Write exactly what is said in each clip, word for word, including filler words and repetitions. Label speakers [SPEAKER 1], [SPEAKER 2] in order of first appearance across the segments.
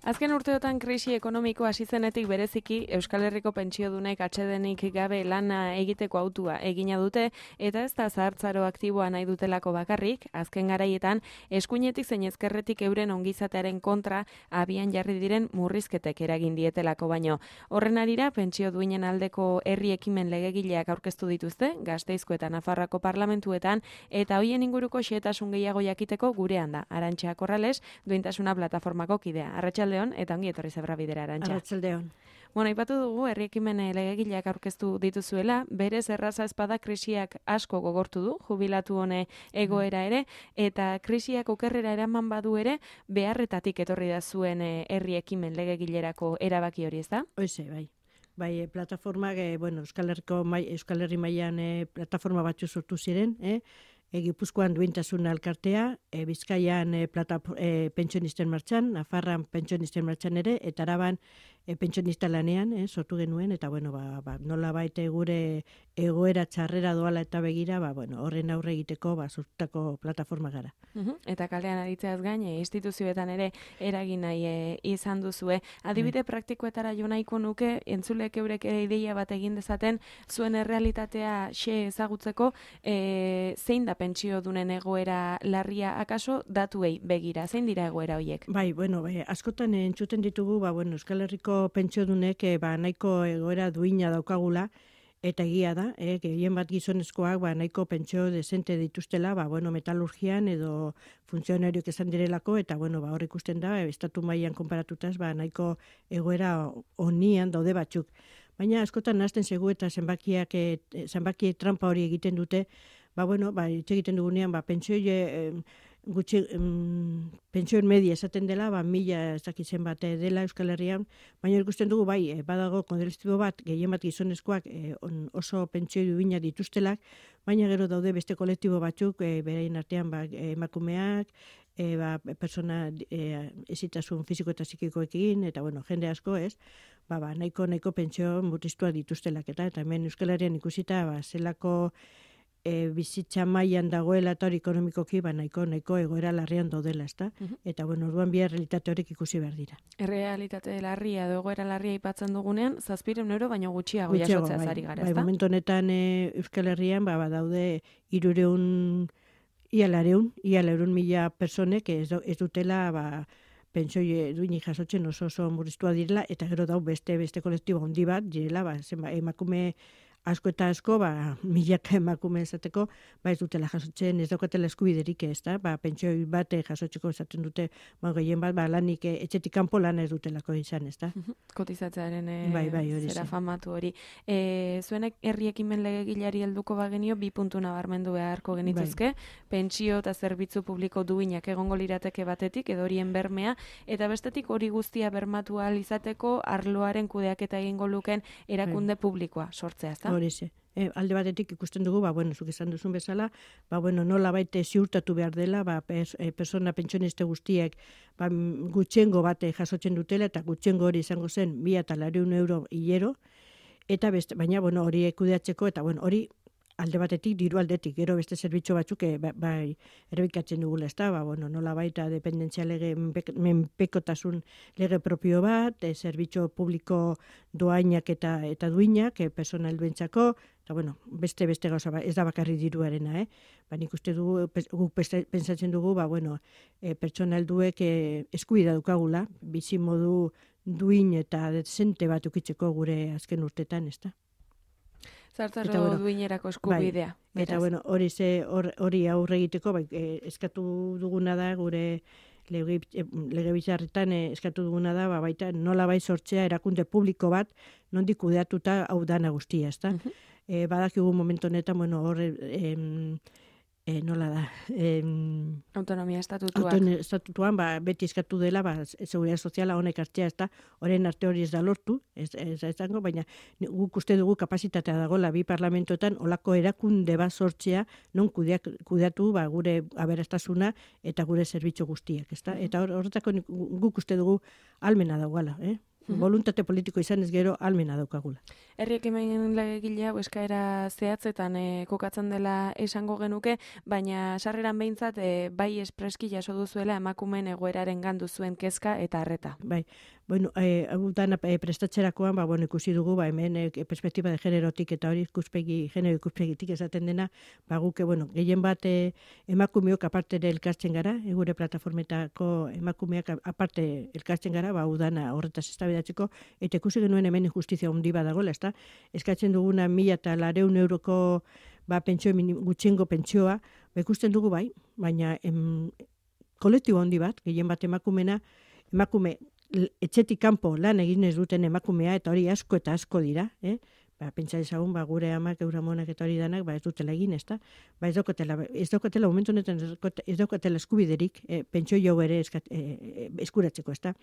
[SPEAKER 1] Azken urteotan krisi ekonomiko hasi zenetik bereziki Euskal Herriko pentsiodunek atsedenik gabe lana egiteko autua egina dute eta ez da zahartzaro aktiboa nahi dutelako bakarrik, azken garaietan eskuinetik zein ezkerretik euren ongizatearen kontra abian jarri diren murrizketek eragin dietelako baino. Horren arira pentsio duinen aldeko herri ekimen legegileak aurkeztu dituzte Gasteizko eta Nafarroako parlamentuetan eta hoien inguruko xehetasun gehiago jakiteko gurean da Arantxa Corrales, Duintasuna plataformako kidea. Arratsaldeon eta ongi etorri Zebra Bidera, Arantxa.
[SPEAKER 2] Arratsaldeon.
[SPEAKER 1] Bueno, aipatu dugu herri ekimen legegileak aurkeztu dituzuela, berez erraza espada krisiak asko gogortu du, jubilatu hone egoera ere, eta krisiak okerrera eraman badu ere, beharretatik etorri da zuen herri ekimen legegilerako erabaki hori, ezta?
[SPEAKER 2] Hoize, bai. Bai, plataformak, eh, bueno, Euskal Herriko mai, Euskal Herri mailan eh, plataforma batzu sortu ziren, eh? E, Gipuzkoan Duintasuna elkartea, e, Bizkaian e, plata, e, pentsionisten martxan, Nafarran pentsionisten martxan ere, eta Araban e, pentsionista lanean e, sortu genuen, eta bueno, ba, ba, nola baite gure egoera txarrera doala eta begira, ba, bueno, horren aurre egiteko ba, sortutako plataforma gara.
[SPEAKER 1] Uhum. Eta kalean aritzeaz gain, e, instituzioetan ere eragin nahi e, izan duzue. Adibide mm. praktikoetara jo nahiko nuke, entzulek eurek ideia bat egin dezaten, zuen errealitatea xe ezagutzeko, e, zein da pentsio dunen egoera larria akaso datuei begira, zein dira egoera horiek?
[SPEAKER 2] Bai, bueno, bai, askotan entzuten ditugu, ba, bueno, Euskal Herriko pentsio dunek e, ba, nahiko egoera duina daukagula, eta egia da, eh, gehien bat gizonezkoak ba, nahiko pentsio desente dituztela, ba, bueno, metalurgian edo funtzionarioak esan direlako, eta bueno, ba, hor ikusten da, estatu mailan konparatutaz, ba, nahiko egoera onian daude batzuk. Baina askotan nazten segu eta zenbakiak, e, zenbaki trampa hori egiten dute, ba, bueno, ba, hitz egiten dugunean, ba, pentsio e, gutxi, um, pentsioen media esaten dela, ba, mila ez dakitzen bat dela Euskal Herrian, baina ikusten dugu, bai, e, badago kondelestibo bat, gehien bat gizonezkoak e, on, oso pentsio duina dituztelak, baina gero daude beste kolektibo batzuk, e, beraien artean, ba, emakumeak, e, ba, persona e, ezitasun fisiko eta psikikoekin, eta bueno, jende asko ez, ba, ba, nahiko, nahiko pentsio murriztua dituztelak, eta, eta hemen Euskal Herrian ikusita, ba, zelako E, bizitza mailan dagoela eta hori ekonomikoki ba, nahiko, nahiko egoera larrian daudela, ezta? Uh-huh. Eta bueno, orduan bi errealitate horiek ikusi behar dira.
[SPEAKER 1] Errealitate larria edo egoera larria aipatzen dugunean, zazpiehun euro baino gutxiago jasotzeaz
[SPEAKER 2] bai,
[SPEAKER 1] ari gara,
[SPEAKER 2] bai,
[SPEAKER 1] ezta?
[SPEAKER 2] Bai, momentu honetan e, Euskal Herrian ba, ba daude hirureun ia lareun, ia lareun mila personek ez, ez dutela ba pentsio duinik jasotzen oso oso murriztua direla, eta gero dau beste beste kolektibo handi bat direla, ba, zenba, emakume asko eta asko, ba, milaka emakume esateko, ba, ez dutela jasotzen, ez daukatela eskubiderik ez da, ba, pentsio bat jasotzeko esaten dute, ba, gehien bat, ba, lanik etxetik kanpo lana ez dutelako izan, ez da.
[SPEAKER 1] Kotizatzearen e,
[SPEAKER 2] bai, bai,
[SPEAKER 1] zera famatu hori. E, zuenek herri ekimen legegileari helduko bagenio, bi puntu nabarmendu beharko genituzke, bai. Pentsio eta zerbitzu publiko duinak egongo lirateke batetik, edo horien bermea, eta bestetik hori guztia bermatu ahal izateko arloaren kudeaketa egingo luken erakunde bai. Publikoa sortzea, ezta?
[SPEAKER 2] Horize. E, alde batetik ikusten dugu, ba, bueno, zuk esan duzun bezala, ba, bueno, nola baite ziurtatu behar dela, ba, pers, e, persona pentsioniste guztiek ba, gutxengo bate jasotzen dutela, eta gutxengo hori izango zen mila eta laurehun euro hilero, eta beste, baina, bueno, hori kudeatzeko, eta, bueno, hori alde batetik, diru aldetik, gero beste zerbitzu batzuk, bai, bai erbikatzen dugula, ez da, ba, bueno, nola baita dependentzia lege, menpekotasun lege propio bat, e, zerbitzu publiko doainak eta eta duinak, e, persona helduentzako, eta, bueno, beste beste gauza, ez da bakarri diruarena, eh? Ba, nik uste dugu, guk pentsatzen dugu, ba, bueno, e, pertsona helduek e, eskubidea dukagula, bizi modu duin eta dezente bat ukitzeko gure azken urtetan, ez da?
[SPEAKER 1] Zartzaro bueno, duinerako eskubidea.
[SPEAKER 2] Bai, eta bueno, hori ze hori aurre egiteko, bai, eh, eskatu duguna da gure legebiltzarretan eh, eskatu duguna da, ba, baita nola bai sortzea erakunde publiko bat nondik kudeatuta hau dana guztia, ezta? Uh-huh. Eh, badakigu momentu honetan, bueno, hor eh, E, nola da? E,
[SPEAKER 1] autonomia estatutuak.
[SPEAKER 2] Autonomia estatutuan, ba, beti eskatu dela, ba, seguridad soziala honek hartzea, ez da, horren arte hori ez da lortu, ez, ez, ez dango, baina guk uste dugu kapasitatea dagoela bi parlamentoetan, olako erakunde bat sortzea, non kudeak, kudeatu ba, gure aberastasuna eta gure zerbitzu guztiak, ez da? Eta horretako guk uste dugu almena dagoela, eh? Voluntate politiko izan ez gero almena daukagula.
[SPEAKER 1] Herri ekimen legegilea eskaera zehatzetan e, kokatzen dela esango genuke, baina sarreran behintzat e, bai espreski jaso duzuela emakumeen egoeraren gandu zuen kezka eta harreta.
[SPEAKER 2] Bai, bueno, eh, hau dana eh, prestatzerakoan, ba, bueno, ikusi dugu, ba, hemen eh, perspektiba de generotik eta hori ikuspegi, genero ikuspegitik esaten dena, ba, guke, bueno, gehien bat eh, emakumeok aparte elkartzen gara, e, gure plataformetako emakumeak aparte elkartzen gara, ba, udana horretaz eztabaidatzeko, eta ikusi genuen hemen injustizia handi badagoela, ezta? Eskatzen duguna mila eta lareun euroko ba, pentsio, gutxiengo pentsioa, ba, ikusten dugu bai, baina em, kolektibo handi bat, gehien bat emakumena, emakume etxetik kanpo lan egin ez duten emakumea, eta hori asko eta asko dira, eh? Ba, pentsa ezagun, ba, gure amak, euramonak eta hori danak, ba, ez dutela egin, ezta? Ba, ez daukatela, ez daukatela, momentu honetan ez daukatela eskubiderik, eh, pentsio jau ere eskat, eh, eskuratzeko, ezta?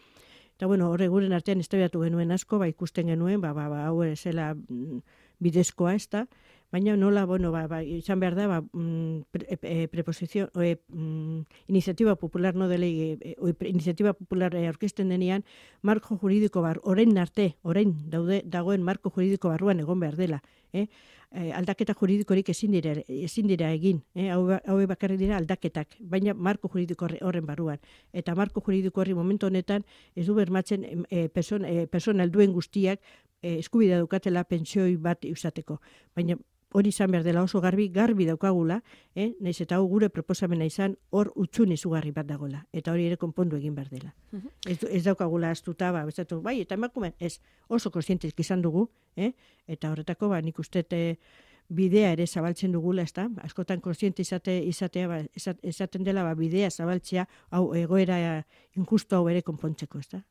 [SPEAKER 2] Eta, bueno, horre guren artean eztabaidatu genuen asko, ba, ikusten genuen, ba, ba, ba, hau zela mm, bidezkoa, ezta? Baina nola, bueno, ba, ba, izan behar da, ba, mm, pre, e, preposizio, e, mm, iniziatiba popular, no dele, e, e, iniziatiba popular e, aurkezten denean, marko juridiko bar, orain arte, orain daude, dagoen marko juridiko barruan egon behar dela, eh? E, aldaketa juridikorik ezin dira, ezin dira egin, eh? hau, hau bakarrik dira aldaketak, baina marko juridiko horren barruan. Eta marko juridiko horri momentu honetan ez du bermatzen e, person, e, persona helduen guztiak e, eskubidea dukatela pentsioi bat izateko. Baina hori izan behar dela oso garbi, garbi daukagula, eh? Naiz eta hau gure proposamena izan hor utxun izugarri bat dagoela. Eta hori ere konpondu egin behar dela. Uh-huh. ez, ez daukagula astuta, ba, bezatu, bai, eta emakume, ez, oso konsientezik izan dugu, eh? Eta horretako, ba, nik uste bidea ere zabaltzen dugula, ezta? Askotan konsiente izate, izatea, ba, esaten dela, ba, bidea zabaltzea, hau egoera injustu hau ere konpontzeko, ezta?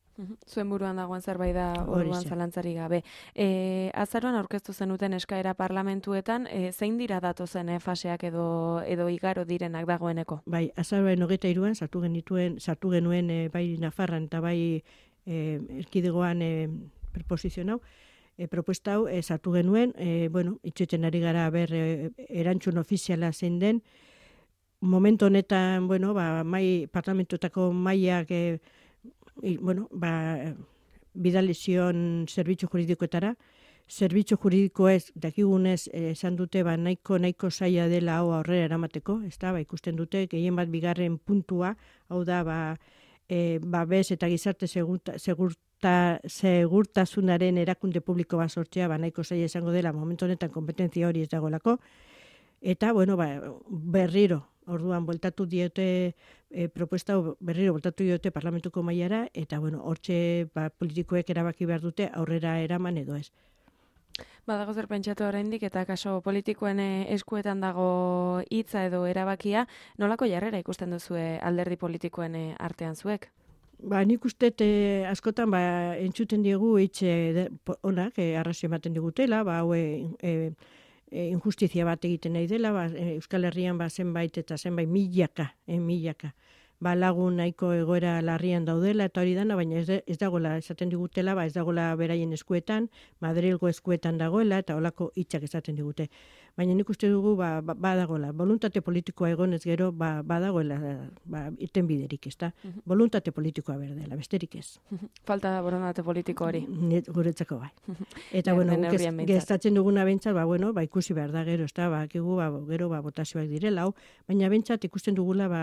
[SPEAKER 1] Zuen buruan dagoen zerbait da orduan zalantzari gabe. E, azaroan aurkeztu zenuten eskaera parlamentuetan, e, zein dira datozen e, faseak edo edo igaro direnak dagoeneko?
[SPEAKER 2] Bai, azaroaren hogeita hiruan sartu genituen, sartu genuen e, bai Nafarran eta bai e, erkidegoan e, proposizio hau, e, propuesta hau e, sartu genuen, e, bueno, itxoiten ari gara ber e, erantzun ofiziala zein den. Momentu honetan, bueno, ba, mai parlamentuetako maiak e, I, bueno, ba, bidalizion zerbitzu juridikoetara. Zerbitzu juridiko ez, dakigunez, esan dute, ba, nahiko, nahiko zaila dela hau aurrera eramateko, ez da, ba, ikusten dute, gehien bat bigarren puntua, hau da, ba, e, ba, bez eta gizarte segurta, segurta, segurtasunaren erakunde publiko bat sortzea, ba, nahiko zaila izango dela, momentu honetan kompetentzia hori ez dagoelako, eta, bueno, ba, berriro, orduan, bueltatu diote, e, propuesta berriro bueltatu diote parlamentuko mailara, eta, bueno, hortxe ba, politikoek erabaki behar dute aurrera eraman edo ez.
[SPEAKER 1] Badago zer pentsatu oraindik eta kaso politikoen eskuetan dago hitza edo erabakia, nolako jarrera ikusten duzue alderdi politikoen artean zuek?
[SPEAKER 2] Ba, nik uste e, askotan ba, entzuten diegu hitz e, onak, e, arrazio ematen digutela, ba, hau e, E, injustizia bat egiten nahi dela, ba, Euskal Herrian ba, zenbait eta zenbait milaka, eh, milaka. Ba, lagun nahiko egoera larrian daudela eta hori dana, baina ez, de, ez dagoela esaten digutela, ba, ez dagoela beraien eskuetan, Madrilgo eskuetan dagoela eta holako hitzak esaten digute. Baina nik uste dugu ba, ba, badagoela, voluntate politikoa egonez gero ba, badagoela ba, irten biderik, ez da? Uh-huh. Voluntate politikoa berdela, besterik ez.
[SPEAKER 1] Uh-huh. Falta da voluntate politiko hori.
[SPEAKER 2] Guretzako bai. Eta bueno, gestatzen duguna bentsat, ba, bueno, ba, ikusi behar da gero, ez da, ba, kigu, ba, gero ba, botazioak direla, hau, baina bentsat ikusten dugula, ba,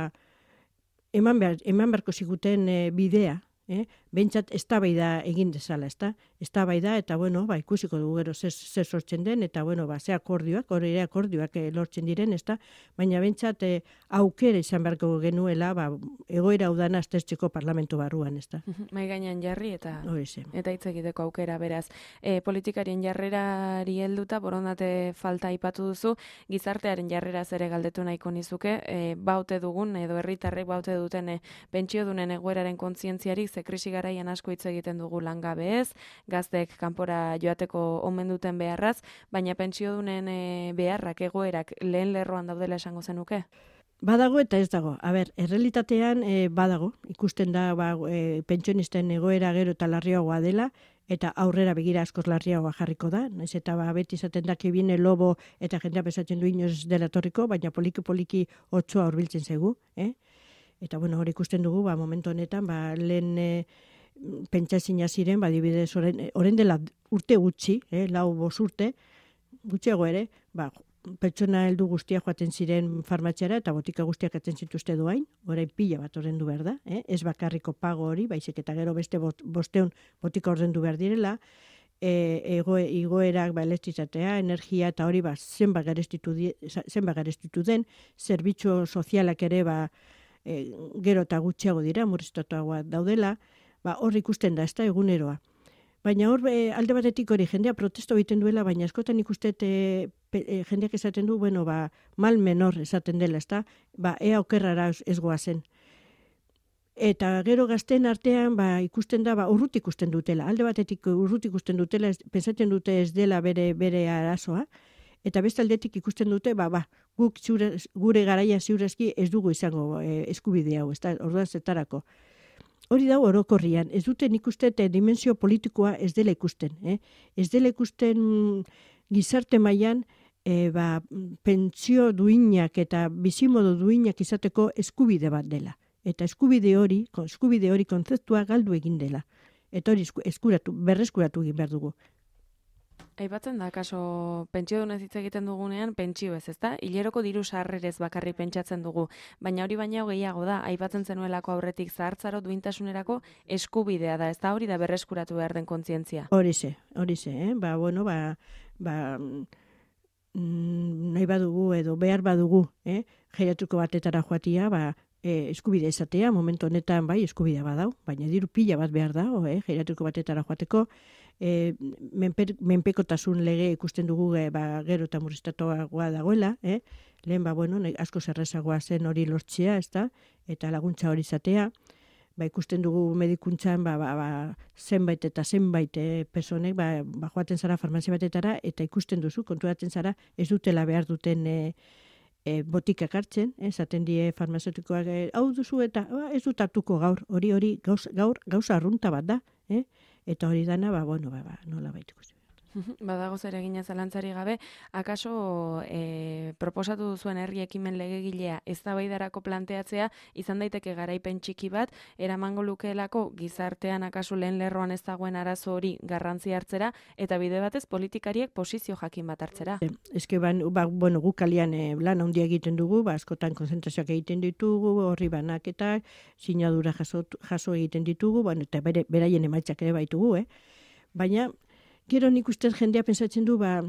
[SPEAKER 2] eman, behar, eman beharko ziguten e, bidea, eh? Bentsat eztabaida egin dezala, ezta? Eztabaida eta bueno, ba ikusiko dugu gero zer zer sortzen den eta bueno, ba ze akordioak, hori ere akordioak eh, lortzen diren, ezta? Baina bentsat eh, aukera izan beharko genuela, ba egoera udana aztertzeko parlamentu barruan, ezta?
[SPEAKER 1] Mai gainean jarri eta
[SPEAKER 2] Horixe.
[SPEAKER 1] Eta hitz egiteko aukera beraz. E, politikarien jarrerari helduta borondate falta aipatu duzu, gizartearen jarreraz ere galdetu nahiko nizuke, e, baute dugun edo herritarrek baute duten e, pentsiodunen egoeraren kontzientziari ze krisi garaian asko hitz egiten dugu langabe ez, gazteek kanpora joateko omen duten beharraz, baina pentsiodunen e, beharrak egoerak lehen lerroan daudela esango zenuke?
[SPEAKER 2] Badago eta ez dago. A ber, errealitatean e, badago. Ikusten da ba, e, pentsionisten egoera gero eta larriagoa dela, eta aurrera begira askoz larriagoa jarriko da. Naiz eta ba, beti izaten da que viene lobo eta jendea pesatzen du inoz dela torriko, baina poliki-poliki otsoa hurbiltzen zaigu, eh? Eta bueno, hori ikusten dugu, ba, momentu honetan, ba, lehen e, pentsazina ziren, badibidez, orain, orain dela urte gutxi, eh, lau bos urte, gutxiago ere, ba, pertsona heldu guztiak joaten ziren farmatxera eta botika guztiak atzen zituzte doain, orain pila bat ordendu behar da, eh? Ez bakarriko pago hori, baizik eta gero beste bosteun botika ordendu behar direla, e, ego, igoerak ba, elektrizatea, energia eta hori ba, zenbat garestitu, zenbat garestitu den, zerbitzu sozialak ere ba, e, gero eta gutxiago dira, murriztatuagoa daudela, ba, hor ikusten da, ez da eguneroa. Baina hor, e, alde batetik hori, jendea protesto egiten duela, baina askotan ikustet e, e, jendeak esaten du, bueno, ba, mal menor esaten dela, ezta? Ba, ea okerrara ez goazen. Eta gero gazten artean, ba, ikusten da, ba, urrut ikusten dutela. Alde batetik urrut ikusten dutela, ez, pensatzen dute ez dela bere, bere arazoa, eta beste aldetik ikusten dute, ba, ba, guk ziure, gure garaia ziurezki ez dugu izango e, eskubide hau, ezta? Orduan zetarako. Hori dago orokorrian, ez duten ikusten dimensio politikoa ez dela ikusten. Eh? Ez dela ikusten gizarte mailan e, ba, pentsio duinak eta bizimodu duinak izateko eskubide bat dela. Eta eskubide hori, eskubide hori kontzeptua galdu egin dela. Eta hori eskuratu, berreskuratu egin behar dugu.
[SPEAKER 1] Aipatzen da, kaso, pentsio dunez hitz egiten dugunean, pentsio ez, ezta? Hileroko diru sarrerez bakarri pentsatzen dugu, baina hori baina gehiago da, aipatzen zenuelako aurretik zahartzaro duintasunerako eskubidea da, ezta hori da berreskuratu behar den kontzientzia.
[SPEAKER 2] Hori ze, hori ze, eh? Ba, bueno, ba, ba, mm, nahi badugu edo behar badugu, eh? Geriatriko batetara joatia, ba, e, eskubide izatea, momentu honetan bai eskubidea badau, baina diru pila bat behar da, eh? Geriatriko batetara joateko, E, menper, menpekotasun lege ikusten dugu e, ba, gero eta murriztatuagoa dagoela, eh? Lehen ba, bueno, asko zerrezagoa zen hori lortzea, ezta? Eta laguntza hori izatea, ba, ikusten dugu medikuntzan ba, ba, ba, zenbait eta zenbait e, personek ba, ba, joaten zara farmazia batetara eta ikusten duzu, konturatzen zara ez dutela behar duten e, e, botikak hartzen, esaten die farmazeutikoak e, hau duzu eta ba, ez dut hartuko gaur, hori hori gauz, gaur gauza arrunta bat da, eh? Eta hori dana, ba, bueno, ba, ba, nola baituko zen.
[SPEAKER 1] Badago zer egina zalantzari gabe, akaso e, proposatu duzuen herri ekimen legegilea eztabaidarako planteatzea izan daiteke garaipen txiki bat, eramango lukeelako gizartean akaso lehen lerroan ez dagoen arazo hori garrantzi hartzera, eta bide batez politikariek posizio jakin bat hartzera.
[SPEAKER 2] E, eske ban, ba, bueno, guk kalian e, lan handia egiten dugu, ba, askotan konzentrazioak egiten ditugu, horri banaketak, sinadura jaso, jaso egiten ditugu, bueno, eta bere, beraien emaitzak ere baitugu, eh? Baina, gero nik uste jendea pentsatzen du, ba,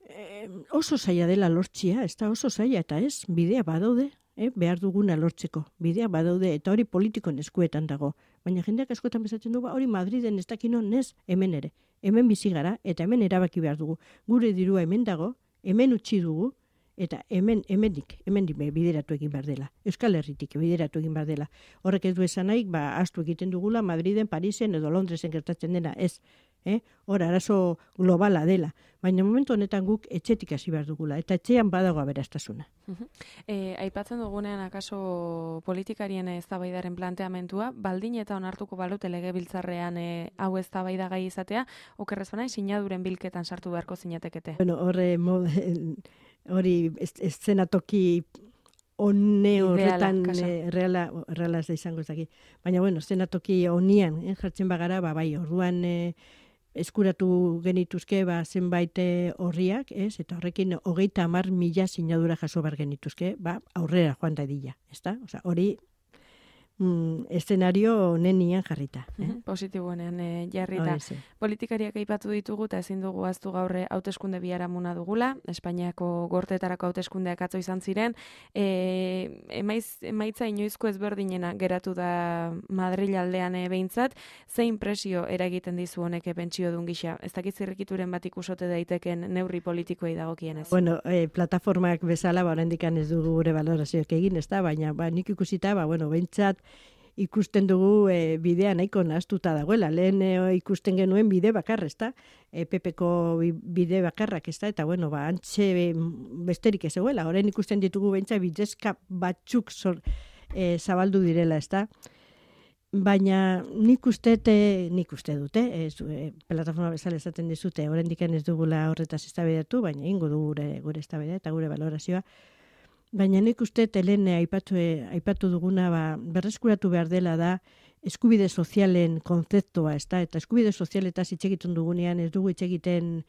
[SPEAKER 2] e, oso zaila dela lortzia, ez da oso zaila, eta ez, bidea badaude, eh, behar duguna lortzeko, bidea badaude, eta hori politikon eskuetan dago. Baina jendeak askotan pentsatzen du, ba, hori Madriden ez dakino, nez, hemen ere, hemen bizi gara, eta hemen erabaki behar dugu. Gure dirua hemen dago, hemen utzi dugu, eta hemen, hemendik, hemendik bideratu egin behar dela. Euskal Herritik bideratu egin behar dela. Horrek ez du esan nahi, ba, astu egiten dugula, Madriden, Parisen edo Londresen gertatzen dena, ez. Eh? Hor, arazo globala dela. Baina momentu honetan guk etxetik hasi behar dugula, eta etxean badago aberastasuna.
[SPEAKER 1] Uh-huh. E, aipatzen dugunean akaso politikarien eztabaidaren planteamentua, baldin eta onartuko balute legebiltzarrean e, hau eztabaida gai izatea, okerrez bana, sinaduren bilketan sartu beharko zinatekete.
[SPEAKER 2] Bueno, horre, hori eszenatoki one horretan e, reala, reala ez da izango ez daki. Baina, bueno, eszenatoki honian, eh, jartzen bagara, ba, bai, orduan e, eskuratu genituzke ba, zenbait horriak, ez? Eta horrekin hogeita hamar mila sinadura jaso bar genituzke, ba, aurrera joan dadila, ezta? Osea, hori mm, eszenario nenian jarrita. Eh?
[SPEAKER 1] Mm-hmm. Positiboenean e, jarrita. Hori, politikariak aipatu ditugu eta ezin dugu aztu gaurre hauteskunde biharamuna dugula, Espainiako gorteetarako hauteskundeak atzo izan ziren, e, emaiz, emaitza inoizko ezberdinena geratu da Madril aldean e, behintzat, zein presio eragiten dizu honek pentsio dun gisa? Ez dakit zirrikituren bat ikusote daiteken neurri politikoei dagokienez.
[SPEAKER 2] Bueno, e, plataformak bezala, ba, oraindikan ez dugu gure valorazioak egin, ez da, baina ba, nik ikusita, ba, bueno, behintzat, ikusten dugu e, bidea nahiko nahaztuta dagoela. Lehen e, ikusten genuen bide bakarra, ezta? E, P P-ko bide bakarrak, ezta? Eta, bueno, ba, antxe besterik ez egoela. Orain ikusten ditugu beintza bidezka batzuk zor, e, zabaldu direla, ezta? Baina nik uste, nik uste dute, ez, e, plataforma bezala esaten dizute, oraindik ez dugula horretaz eztabaidatu, baina ingo du gure, gure eztabaida eta gure valorazioa. Baina nik uste helen aipatu, aipatu duguna ba, berreskuratu behar dela da eskubide sozialen konzeptua, ez da? Eta eskubide sozialetaz hitz egiten dugunean ez dugu hitz egiten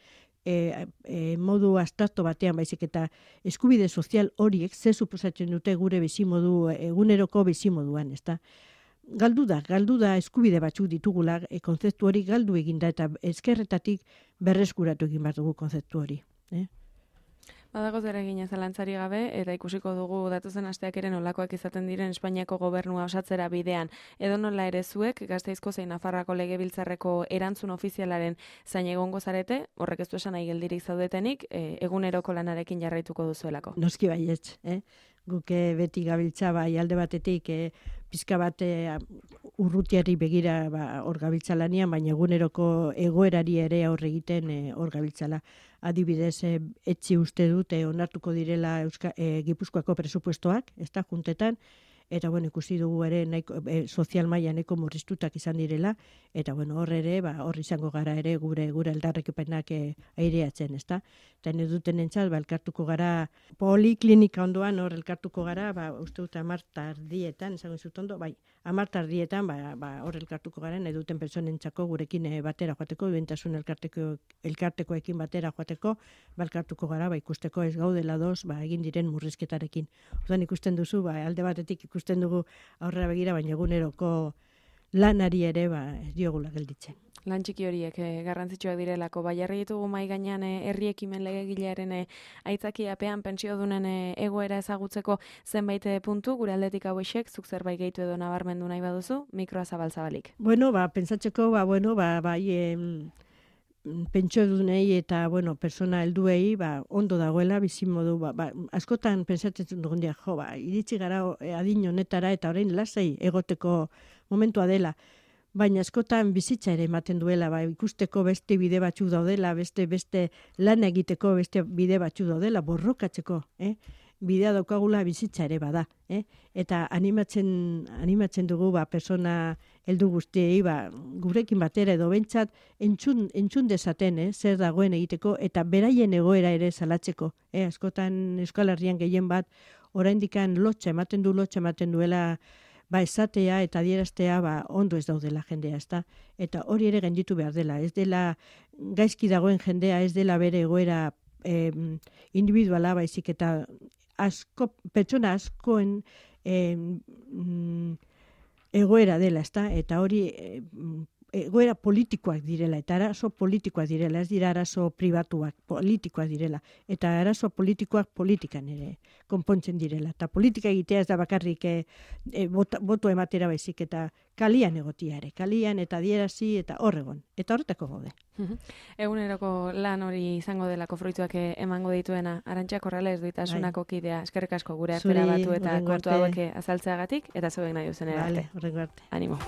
[SPEAKER 2] e, e, modu abstrakto batean, baizik eta eskubide sozial horiek ze suposatzen dute gure bizimodu, eguneroko bizimoduan, ez da? Galdu da, galdu da eskubide batzuk ditugula, e, konzeptu hori galdu eginda eta ezkerretatik berreskuratu egin behar dugu konzeptu hori. Eh?
[SPEAKER 1] Badago zer egin zalantzari gabe, eta ikusiko dugu datozen asteak ere nolakoak izaten diren Espainiako gobernua osatzera bidean. Edo nola ere zuek, Gasteizko zein Nafarroako legebiltzarreko erantzun ofizialaren zain egongo zarete, horrek ez du esan nahi geldirik zaudetenik, e, eguneroko lanarekin jarraituko duzuelako.
[SPEAKER 2] Noski baietz, eh? Guke beti gabiltza bai alde batetik e, pizka bat e, urrutiari begira ba, hor gabiltza lanian, baina eguneroko egoerari ere aurre egiten e, hor gabiltzala. Adibidez, e, etzi uste dute onartuko direla Euska, e, Gipuzkoako presupuestoak, ez da, juntetan, eta bueno, ikusi dugu ere nahiko, e, sozial maila nahiko murriztutak izan direla, eta bueno, hor ere, ba, hor izango gara ere gure gure aldarrekepenak e, aireatzen, ez da? Eta ne duten entzat, ba, elkartuko gara, poliklinika ondoan hor elkartuko gara, ba, uste dut amar tardietan, esango zut ondo, bai, amar tardietan, ba, ba, hor elkartuko gara, ne duten pertsonentzako gurekin e, batera joateko, duentasun elkarteko, elkartekoekin batera joateko, ba, elkartuko gara, ba, ikusteko ez gaudela doz, ba, egin diren murrizketarekin. Orduan ikusten duzu, ba, alde batetik ikusten dugu aurrera begira, baina eguneroko lanari ere ba, ez diogula gelditzen.
[SPEAKER 1] Lan txiki horiek eh, garrantzitsuak direlako. Bai, jarri ditugu mahai gainean eh, herri ekimen legegilearen eh, aitzakiapean pentsiodunen eh, egoera ezagutzeko zenbait eh, puntu, gure aldetik hauexek, zuk zerbait gehitu edo nabarmendu nahi baduzu, mikroa zabal-zabalik.
[SPEAKER 2] Bueno, ba, pentsatzeko, ba, bueno, ba, bai, em, pentsiodunei eta, bueno, persona helduei, ba, ondo dagoela, bizimodu, ba, ba, askotan pentsatzen dugun dia, jo, ba, iritsi gara eh, adin honetara eta orain lasai egoteko momentua dela. Baina askotan bizitza ere ematen duela, ba, ikusteko beste bide batzu daudela, beste beste lan egiteko beste bide batzu daudela, borrokatzeko, eh? Bidea daukagula bizitza ere bada, eh? Eta animatzen animatzen dugu ba persona heldu guztiei ba gurekin batera edo bentsat entzun entzun dezaten, eh? Zer dagoen egiteko eta beraien egoera ere salatzeko, eh? Askotan Euskal Herrian gehien bat oraindikan lotxa ematen du lotxa ematen duela ba esatea eta adieraztea ba ondo ez daudela jendea, ezta? Eta hori ere gainditu behar dela, ez dela gaizki dagoen jendea, ez dela bere egoera eh, individuala baizik eta asko pertsona askoen eh, egoera dela, ezta? Eta hori eh, egoera politikoak direla, eta arazo politikoak direla, ez dira arazo pribatuak, politikoak direla. Eta arazo politikoak politikan ere konpontzen direla. Eta politika egitea ez da bakarrik e, e, boto ematera baizik, eta kalian egotia ere, kalian eta adierazi eta horregon. Eta horretako gaude.
[SPEAKER 1] Eguneroko lan hori izango delako fruituak emango dituena, Arantxa Corrales duitasunako kidea, eskerrik asko gure artera batu eta kontu hauek azaltzeagatik, eta zeuek nahi duzen arte.
[SPEAKER 2] Horrengo arte.
[SPEAKER 1] Animo.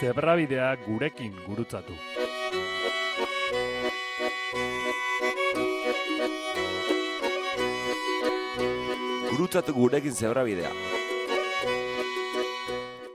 [SPEAKER 3] Zebrabidea gurekin gurutzatu.
[SPEAKER 4] Gurutzatu gurekin zebrabidea.